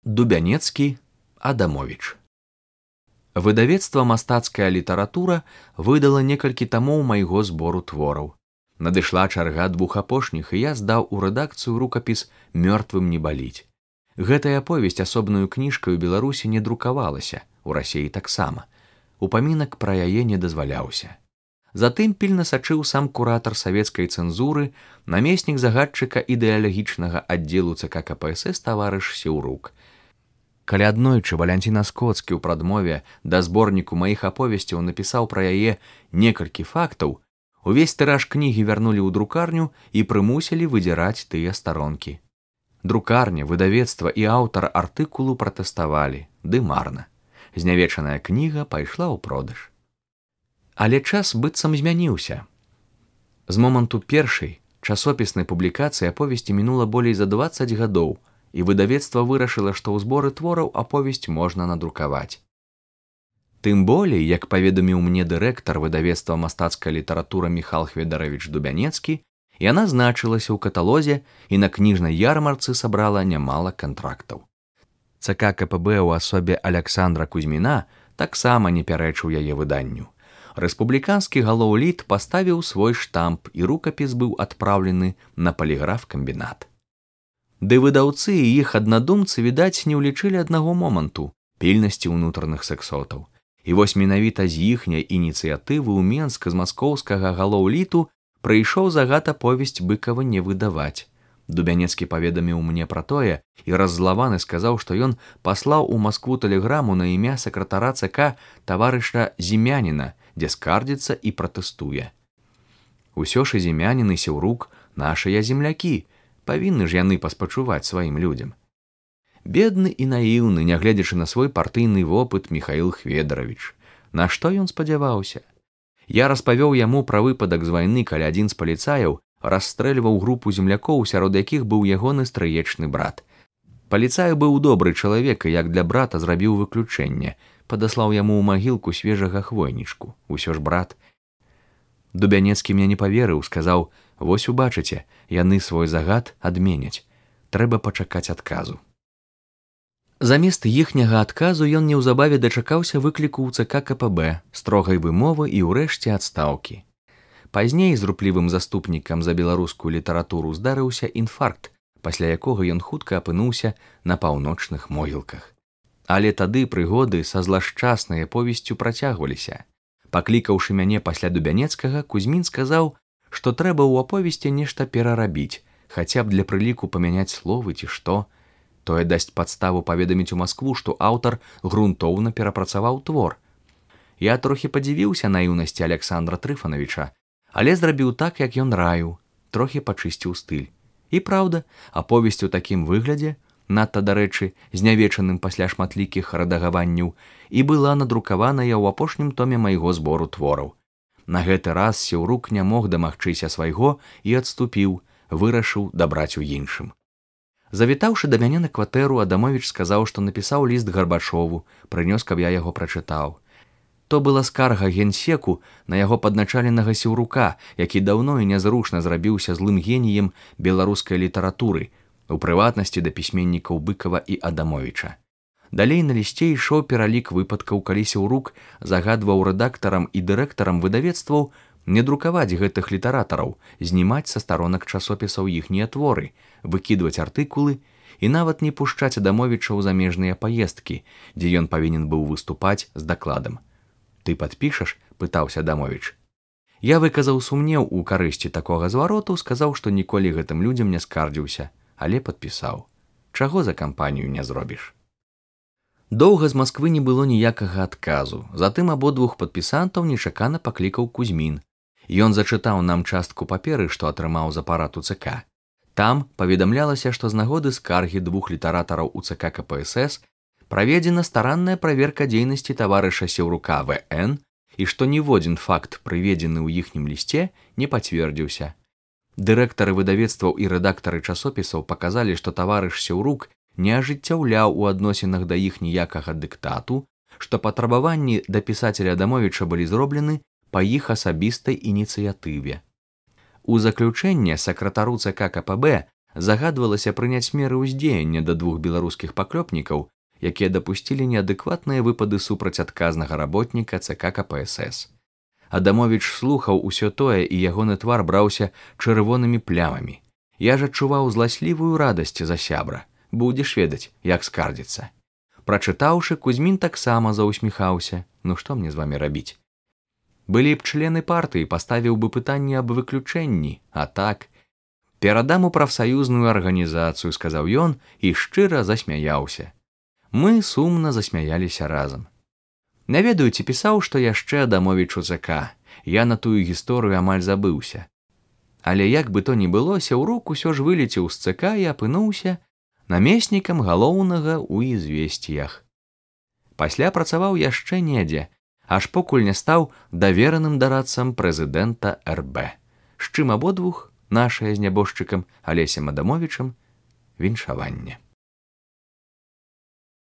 Дубянецкі, Адамовіч. Выдавецтва «Мастацкая літаратура» выдала некалькі тамоў майго збору твораў. Надышла чарга двух апошніх, і я здаў у рэдакцыю рукапіс «Мёртвым не баліць». Гэтая аповесць асобнаю кніжкай у Беларусі не друкавалася, у Расіі таксама. Упамінак пра яе не дазваляўся. Затым пільна сачыў сам куратар савецкай цэнзуры, намеснік загадчыка ідэалагічнага аддзелу ЦК КПСС таварыш Сеўрук. Калі аднойчы Валянцін Аскоцкі ў прадмове да зборніку маіх аповесцяў напісаў пра яе некалькі фактаў, увесь тыраж кнігі вярнулі ў друкарню і прымусілі выдзіраць тыя старонкі. Друкарня, выдавецтва і аўтар артыкулу пратэставалі, ды марна. Знявечаная кніга пайшла ў продаж. Але час быццам змяніўся. З моманту першай часопіснай публікацыі аповесці мінула болей за 20 гадоў, і выдавецтва вырашыла, што ў зборы твораў аповесць можна надрукаваць. Тым болей, як паведаміў мне дырэктар выдавецтва «Мастацкая літаратура» Міхал Хведаравіч Дубянецкі, яна значылася ў каталозе і на кніжнай ярмарцы сабрала нямала кантрактаў. ЦК КПБ ў асобе Аляксандра Кузьміна таксама не пярэчыў яе выданню. Рэспубліканскі галоўліт паставіў свой штамп, і рукапіс быў адпраўлены на паліграф-камбінат. Ды выдаўцы і іх аднадумцы, відаць, не ўлічылі аднаго моманту – пільнасці ўнутраных сексотаў. І вось менавіта з іхняй ініцыятывы ў Менск з маскоўскага галоўліту прыйшоў загад аповесць Быкава не выдаваць. Дубянецкі паведаміў мне пра тое і раззлаваны сказаў, што ён паслаў у Маскву тэлеграму на імя сакратара ЦК таварыша Зімяніна, дзе скардзіцца і пратэстуе. Усё ж і Зімянін і Сеўрук – нашыя землякі, павінны ж яны паспачуваць сваім людзям. Бедны і наіўны, нягледзячы на свой партыйны вопыт, Міхаіл Хведаравіч. На што ён спадзяваўся? Я распавёў яму пра выпадак з вайны, калі адзін з паліцаяў расстрэльваў групу землякоў, сярод якіх быў ягоны стрыечны брат. Паліцай быў добры чалавек, і як для брата зрабіў выключэнне, падаслаў яму ў магілку свежага хвойнічку. Усё ж брат. Дубянецкі мне не паверыў, сказаў: «Вось убачыце, яны свой загад адменяць. Трэба пачакаць адказу». Замест іхняга адказу ён неўзабаве дачакаўся выкліку ў ЦК КПБ, строгай вымовы і ўрэшце адстаўкі. Пазней з руплівым заступнікам за беларускую літаратуру здарыўся інфаркт, пасля якога ён хутка апынуўся на паўночных могілках. Але тады прыгоды са злашчаснай аповесцю працягваліся. Паклікаўшы мяне пасля Дубянецкага, Кузьмін сказаў, што трэба ў аповесці нешта перарабіць, хаця б для прыліку памяняць словы ці што. Тое дасць падставу паведаміць у Маскву, што аўтар грунтоўна перапрацаваў твор. Я трохі падзівіўся наіўнасці Аляксандра Трыфанавіча, але зрабіў так, як ён раіў, трохі пачысціў стыль. І праўда, аповесць у такім выглядзе, надта, дарэчы, знявечаным пасля шматлікіх рэдагаванняў, і была надрукаваная ў апошнім томе майго збору твораў. На гэты раз Сеўрук не мог дамагчыся свайго і адступіў, вырашыў дабраць у іншым. Завітаўшы да мяне на кватэру, Адамовіч сказаў, што напісаў ліст Гарбачову, прынёс, каб я яго прачытаў. То была скарга генсеку на яго падначаленага Сеўрука, які даўно і нязручна зрабіўся злым геніем беларускай літаратуры, у прыватнасці да пісьменнікаў Быкава і Адамовіча. Далей на лісце ішоў пералік выпадкаў, калі Сеўрук загадваў рэдактарам і дырэктарам выдавецтваў не друкаваць гэтых літаратараў, знімаць са старонак часопісаў іхнія творы, выкідваць артыкулы і нават не пушчаць Адамовіча ў замежныя паездкі, дзе ён павінен быў выступаць з дакладам. «Ты падпішаш?» – пытаўся Адамовіч. Я выказаў сумнеў у карысці такога звароту, сказаў, што ніколі гэтым людзям не скардзіўся, але падпісаў. Чаго за кампанію не зробіш? Доўга з Масквы не было ніякага адказу, затым абодвух падпісантаў нечакана паклікаў Кузьмін. Ён зачытаў нам частку паперы, што атрымаў з апарату ЦК. Там паведамлялася, што з нагоды скаргі двух літаратараў у ЦК КПСС праведзена старанная праверка дзейнасці таварыша Сеўрука В.Н. і што ніводзін факт, прыведзены ў іхнім лісце, не пацвердзіўся. Дырэктары выдавецтваў і рэдактары часопісаў паказалі, што таварыш Сеўрук не ажыццяўляў у адносінах да іх ніякага дыктату, што патрабаванні да пісацеля Адамовіча былі зроблены па іх асабістай ініцыятыве. У заключэнне сакратару ЦК КПБ загадвалася прыняць меры ўздзеяння да 2 беларускіх паклёпнікаў, якія дапусцілі неадэкватныя выпады супраць адказнага работніка ЦК КПСС. Адамовіч слухаў усё тое, і ягоны твар браўся чырвонымі плямамі. Я ж адчуваў зласлівую радасць за сябра. Будзеш ведаць, як скардзіцца. Прачытаўшы, Кузьмін таксама заўсміхаўся. Ну што мне з вамі рабіць? Былі б члены партыі, паставіў бы пытанне аб выключэнні, а так... Перадам у прафсаюзную арганізацыю, сказаў ён і шчыра засмяяўся. Мы сумна засмяяліся разам. Не ведаю, ці пісаў, што яшчэ Адамовіч у ЦК. Я на тую гісторыю амаль забыўся. Але як бы то ні было, Сяўрук усё ж вылецеў з ЦК і апынуўся намеснікам галоўнага ў «Ізвесціях». Пасля працаваў яшчэ недзе, аж покуль не стаў давераным дарадцам прэзідэнта РБ, з чым абодвух, нашае з нябожчыкам Алесем Адамовічам, віншаванне.